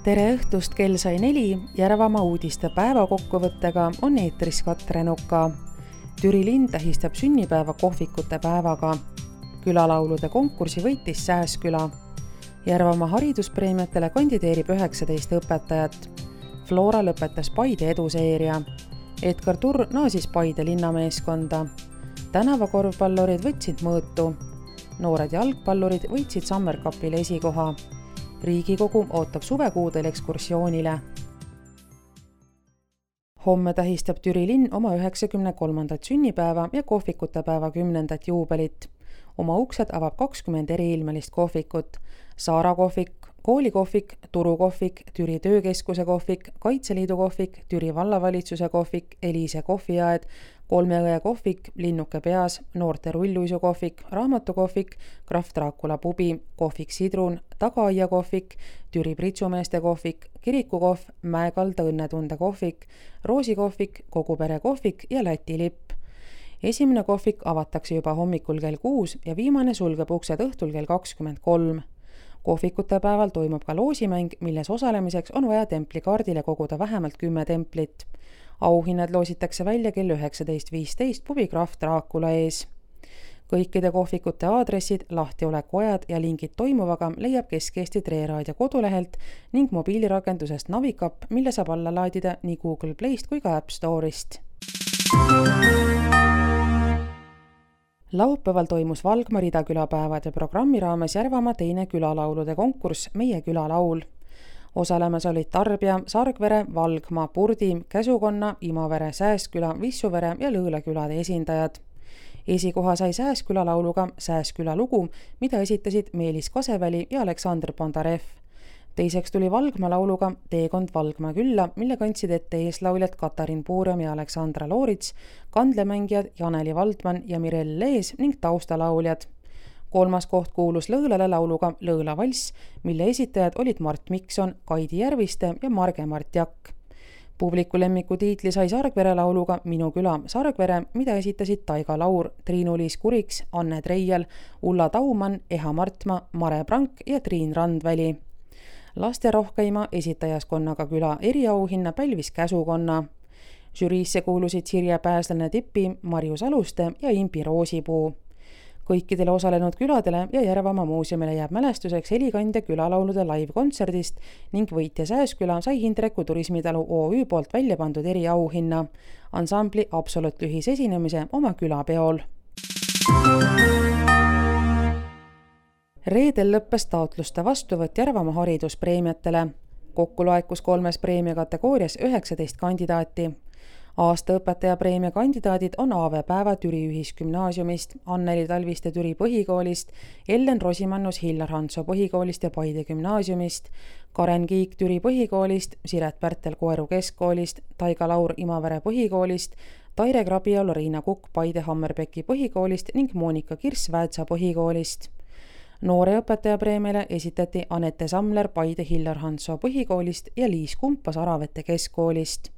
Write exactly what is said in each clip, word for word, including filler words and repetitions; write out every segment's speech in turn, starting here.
Tere õhtust, kell sai neli, Järvamaa uudiste päevakokkuvõttega on eetris Katre Nuka. Türi linn tähistab sünnipäeva kohvikute päevaga. Külalaulude konkursi võitis Sääsküla. Järvamaa hariduspreemiatele kandideerib üheksateist õpetajat. Flora lõpetas Paide eduseeria. Edgar Turr naasis Paide linnameeskonda. Tänavakorvpallurid võtsid mõõtu. Noored jalgpallurid võitsid Summer Cupile esikoha. Riigikogu ootab suvekuudel ekskursioonile. Homme tähistab Türi linn oma üheksakümne kolmandat sünnipäeva ja kohvikute päeva kümnendat juubelit. Oma uksed avab kakskümmend eriilmelist kohvikut. Saara kohvik, koolikohvik, Turu kohvik, Türi töökeskuse kohvik, Kaitseliidu kohvik, Türi vallavalitsuse kohvik, Eliise kohviaed, Kolmeõe kohvik, Linnuke peas, noorte rulluisu kohvik, raamatukohvik, Krahv Draakula pubi, kohvik Sidrun, Tagaaia kohvik, Türi pritsumeeste kohvik, kirikukohv, Mäekalda õnnetunde kohvik, Roosi kohvik, Kogupere kohvik ja Läti lipp. Esimene kohvik avatakse juba hommikul kell kuus ja viimane sulgeb uksed õhtul kell kakskümmend kolm. Kohvikute päeval toimub ka loosimäng, milles osalemiseks on vaja templikaardile koguda vähemalt kümme templit. Auhinnad loositakse välja kell üheksateist viisteist pubi Krahv Draakula ees. Kõikide kohvikute aadressid, lahtioleku-ajad ja lingid toimuvaga leiab Kesk-Eesti Treeraadio kodulehelt ning mobiilirakendusest Navicap, mille saab alla laadida nii Google Playst kui ka App Store'ist. Laupäeval toimus Valgma ridakülapäevade programmi raames Järvamaa teine külalaulude konkurss Meie külalaul. Osalemas olid Tarbja, Sargvere, Valgma, Purdi, Käsukonna, Imavere, Sääsküla, Vissuvere ja Lõõla külade esindajad. Esikoha sai Sääsküla lauluga Sääsküla lugu, mida esitasid Meelis Kaseväli ja Aleksandr Bondarev. Teiseks tuli Valgma lauluga Teekond Valgma külla, mille kandsid ette eeslauljad Katarin Puurem ja Aleksandra Loorits, kandlemängijad Janeli Valdman ja Mirel Lees ning taustalauljad. Kolmas koht kuulus Lõõlale lauluga Lõõla valss, mille esitajad olid Mart Mikson, Kaidi Järviste ja Marge Mart Jakk. Publiku lemmiku tiitli sai Sargvere lauluga Minu küla Sargvere, mida esitasid Taiga Laur, Triinu-Liis Kuriks, Anne Treial, Ulla Taumann, Eha Martma, Mare Prank ja Triin Randväli. Laste rohkeima esitajaskonnaga küla eriauhinna pälvis Käsukonna. Žüriisse kuulusid Sirje Pääslane Tipi, Marjus Aluste ja Impi Roosipuu. Kõikidele osalenud küladele ja Järvamaa muuseumile jääb mälestuseks helikandja külalaulude live-kontserdist ning võitja Sääsküla sai Hindreku turismitalu O Ü poolt välja pandud eriauhinna, ansambli Absolut lühisesinemise oma külapeol. Reedel lõppes taotluste vastuvõtt Järvamaa hariduspreemiatele. Kokku laekus kolmes preemia kategoorias üheksateist kandidaati. Aasta õpetaja preemia kandidaadid on Aave Päeva Türi ühisgümnaasiumist, Anneli Talviste Türi põhikoolist, Ellen Rosimannus Hillar Hanso põhikoolist ja Paide gümnaasiumist, Karen Kiik Türi põhikoolist, Siret Pärtel Koeru keskkoolist, Taiga Laur Imavere põhikoolist, Taire Krabialu Riina Kukk Paide Hammerbeki põhikoolist ning Monika Kirss Väätsa põhikoolist. Noore õpetaja preemiale esitati Anette Samler Paide Hillar Hanso põhikoolist ja Liis Kumpas Aravete keskkoolist.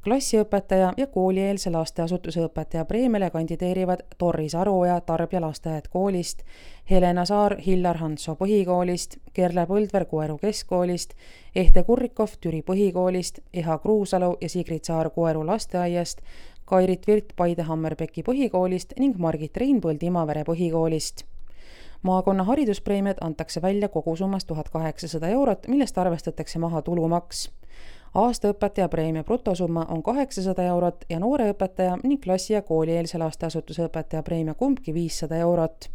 Klassiõpetaja ja koolieelse lasteasutuse õpetaja preemiale kandideerivad Torris Aruoja Tarbja lasteaed koolist, Helena Saar Hillar Hanso põhikoolist, Kerle Põldver Koeru keskkoolist, Ehte Kurrikov Türi põhikoolist, Eha Kruusalu ja Sigrid Saar Koeru lasteaiast, Kairit Virt Paide Hammerbeki põhikoolist ning Margit Reinpõld Imavere põhikoolist. Maakonna hariduspreemiad antakse välja kogusummas tuhat kaheksasada eurot, millest arvestatakse maha tulumaks. Aasta õpetaja preemia brutosumma on kaheksasada eurot ja noore õpetaja ning klassi- ja koolieelse lasteasutuse õpetaja preemia kumbki viissada eurot.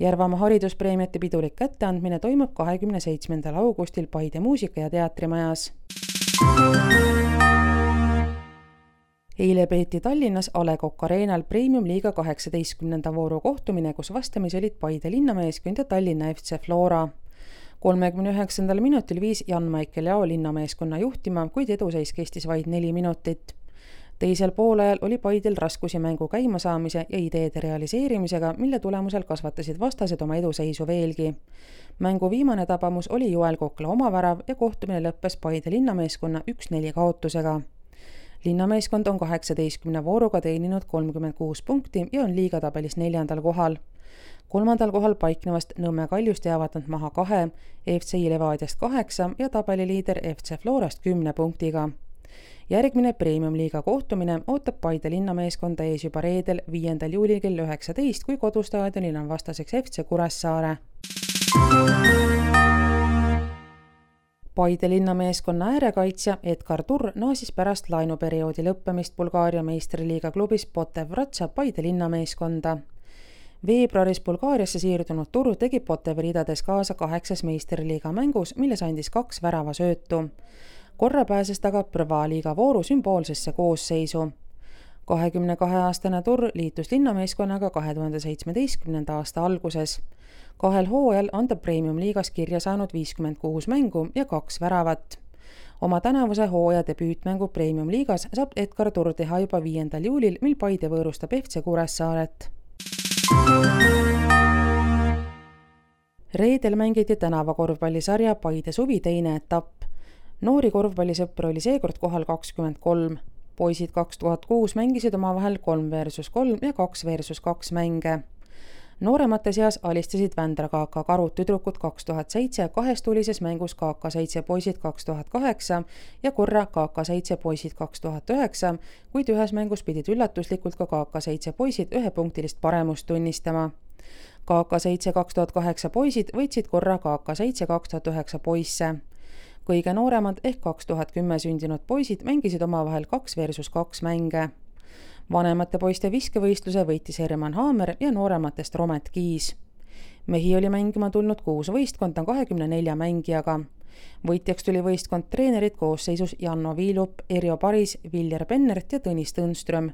Järvamaa hariduspreemiate pidulik kätteandmine toimub kahekümne seitsmendal augustil Paide muusika- ja teatrimajas. Eile peeti Tallinnas A Le Coq Arenal Premium liiga kaheksateistkümnenda vooru kohtumine, kus vastamis olid Paide linnameeskond ja Tallinna F C Flora. kolmekümne üheksandal minutil viis Jan-Maicel Jao linnameeskonna juhtima, kuid eduseis kestis vaid neli minutit. Teisel poolajal oli Paidel raskusi mängu käimasaamise ja ideede realiseerimisega, mille tulemusel kasvatasid vastased oma eduseisu veelgi. Mängu viimane tabamus oli Joel Kokla omavärav ja kohtumine lõppes Paide linnameeskonna üks neli kaotusega. linnameeskond on kaheksateistkümne vooruga teeninud kolmkümmend kuus punkti ja on liigatabelis neljandal kohal. Kolmandal kohal paiknevast Nõmme Kaljust jäävad nad maha kahe, F C Levadiast kaheksa ja tabeliliider F C Florast kümne punktiga. Järgmine Premium-liiga kohtumine ootab Paide linnameeskonda ees juba reedel viiendal juulil kell üheksateist, kui kodustaadionil on vastaseks F C Kuressaare. Paide linnameeskonna äärekaitsja Edgar Turr naasis pärast laenuperioodi lõppemist Bulgaaria meistriliiga klubis Botev Vratsa Paide linnameeskonda. Veebruaris Bulgaariasse siirdunud Turr tegi Botevi ridades kaasa kaheksas meistriliiga mängus, milles andis kaks värava söötu. Korra pääses taga Prva liiga vooru sümboolsesse koosseisu. kahekümne kahe aastane Turr liitus linnameeskonnaga kahe tuhande seitsmeteistkümnenda aasta alguses. Kahel hooajal on ta Premium-liigas kirja saanud viiskümmend kuus mängu ja kaks väravat. Oma tänavuse hooaja debüütmängu Premium-liigas saab Edgar Turr teha juba viiendal juulil, mil Paide võõrustab F C Kuressaaret. Reedel mängiti tänavakorvpallisarja Paide suvi teine etapp. Noori korvpallisõpra oli seekord kohal kakskümmend kolm. Poisid kaks tuhat kuus mängisid omavahel kolm versus kolm ja kaks versus kaks mänge. Nooremate seas alistasid Vändra K K Karud tüdrukud kaks tuhat seitse, kahestulises mängus K K seitse poisid kaks tuhat kaheksa ja korra K K seitse poisid kaks tuhat üheksa, kuid ühes mängus pidid üllatuslikult ka K K seitse poisid ühepunktilist paremust tunnistama. K K seitse kaks tuhat kaheksa poisid võitsid korra K K seitse kaks tuhat üheksa poisse. Kõige nooremad ehk kaks tuhat kümme sündinud poisid mängisid omavahel kaks versus kaks mänge. Vanemate poiste viskevõistluse võitis Herman Haamer ja noorematest Romet Kiis. Mehi oli mängima tulnud kuus võistkonda kahekümne nelja mängijaga. Võitjaks tuli võistkond treenerid koosseisus Janno Viilup, Erjo Paris, Viljar Pennert ja Tõnis Tõnström.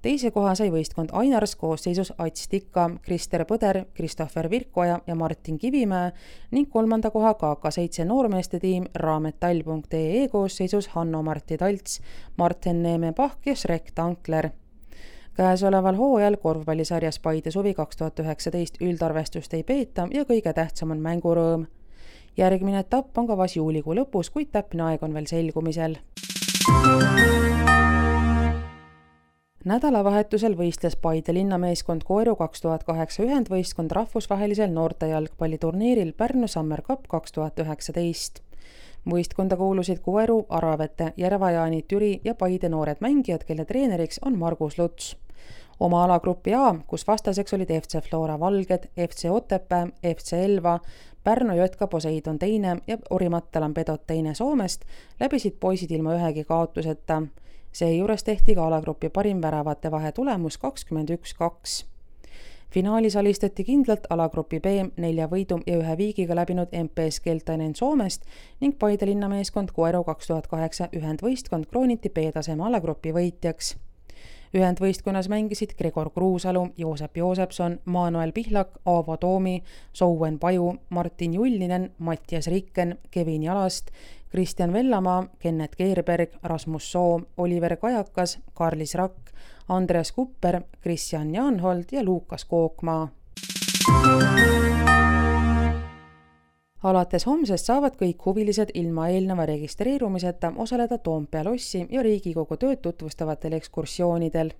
Teise koha sai võistkond Ainars koosseisus Ats Tikka, Krister Põder, Kristoffer Virkoja ja Martin Kivimäe ning kolmanda koha K K seitse noormeeste tiim raametall punkt ee e koosseisus Hanno-Martti Talts, Martin Neeme Pahk ja Shrek Tankler. Käesoleval hooajal korvpallisarjas Paide suvi kaks tuhat üheksateist üldarvestust ei peeta ja kõige tähtsam on mängurõõm. Järgmine etapp on kavas juulikuu lõpus, kuid täpne aeg on veel selgumisel. Nädalavahetusel võistles Paide linnameeskond Koeru kaks tuhat kaheksa ühendvõistkond rahvusvahelisel noortejalgpalliturniiril Pärnu Summer Cup kaks tuhat üheksateist. Võistkonda kuulusid Koeru, Aravete, Järva-Jaani, Türi ja Paide noored mängijad, kelle treeneriks on Margus Luts. Oma alagrupi A, kus vastaseks olid F C Flora Valged, F C Otepää, F C Elva, Pärnu J K Poseidon teine ja Orimattalan Pedot teine Soomest, läbisid poisid ilma ühegi kaotuseta. Seejuures tehti ka alagrupi parim väravate vahe tulemus kakskümmend üks kaks. Finaalis alistati kindlalt alagrupi B nelja võidu ja ühe viigiga läbinud M P S Keltainen Soomest ning Paide linnameeskond Koeru kaks tuhat kaheksa ühendvõistkond krooniti B-taseme alagrupi võitjaks. Ühendvõistkonnas mängisid Gregor Kruusalu, Joosep Joosepson, Manuel Pihlak, Aavo Toomi, Souen Paju, Martin Jullinen, Mattias Rikken, Kevin Jalast, Kristjan Vellamaa, Kennet Keerberg, Rasmus Soo, Oliver Kajakas, Karlis Rakk, Andreas Kupper, Kristjan Jaanhold ja Luukas Kookmaa. Alates homsest saavad kõik huvilised ilma eelneva registreerumiseta osaleda Toompea lossi ja Riigikogu tööd tutvustavatel ekskursioonidel.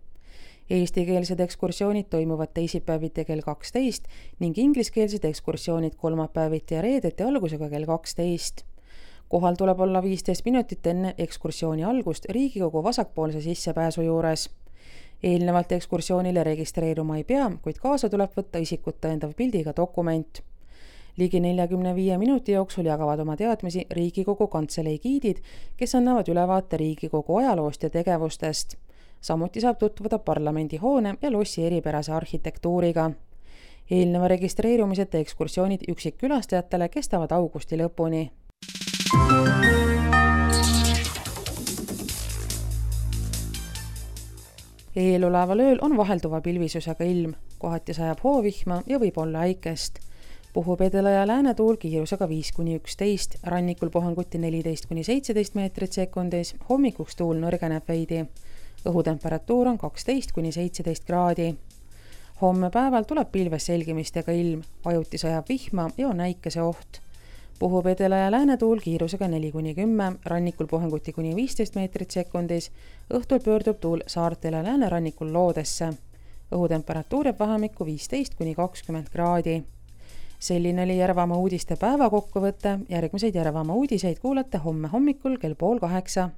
Eestikeelsed ekskursioonid toimuvad teisipäeviti kell kaksteist ning ingliskeelsed ekskursioonid kolmapäeviti ja reedeti algusega kell kaksteist. Kohal tuleb olla viisteist minutit enne ekskursiooni algust Riigikogu vasakpoolse sissepääsu juures. Eelnevalt ekskursioonile registreeruma ei pea, kuid kaasa tuleb võtta isikut tõendav pildiga dokument. Ligi neljakümne viie minuti jooksul jagavad oma teadmisi Riigikogu kantselei giidid, kes annavad ülevaate Riigikogu ajaloost ja tegevustest. Samuti saab tutvuda parlamendi hoone ja lossi eripärase arhitektuuriga. Eelneva registreerumiseta ekskursioonid üksikkülastajatele kestavad augusti lõpuni. Eeloleval ööl on vahelduva pilvisusega ilm, kohati sajab hoovihma ja võib olla äikest. Puhub edela ja läänetuul kiirusega viis kuni üksteist, rannikul puhanguti neliteist kuni seitseteist meetrit sekundis, hommikuks tuul nõrgeneb veidi. Õhutemperatuur on kaksteist kuni seitseteist kraadi. Homme päeval tuleb pilves selgimistega ilm, vajuti sajab vihma ja on äikese oht. puhub edela- ja läänetuul kiirusega neli kuni kümme, rannikul puhanguti kuni viisteist meetrit sekundis, õhtul pöördub tuul saartel ja läänerannikul loodesse. Õhutemperatuur jääb vahemikku viisteist kuni kakskümmend kraadi. Selline oli Järvamaa uudiste päeva kokkuvõte, järgmiseid Järvamaa uudiseid kuulate homme hommikul kell pool kaheksa.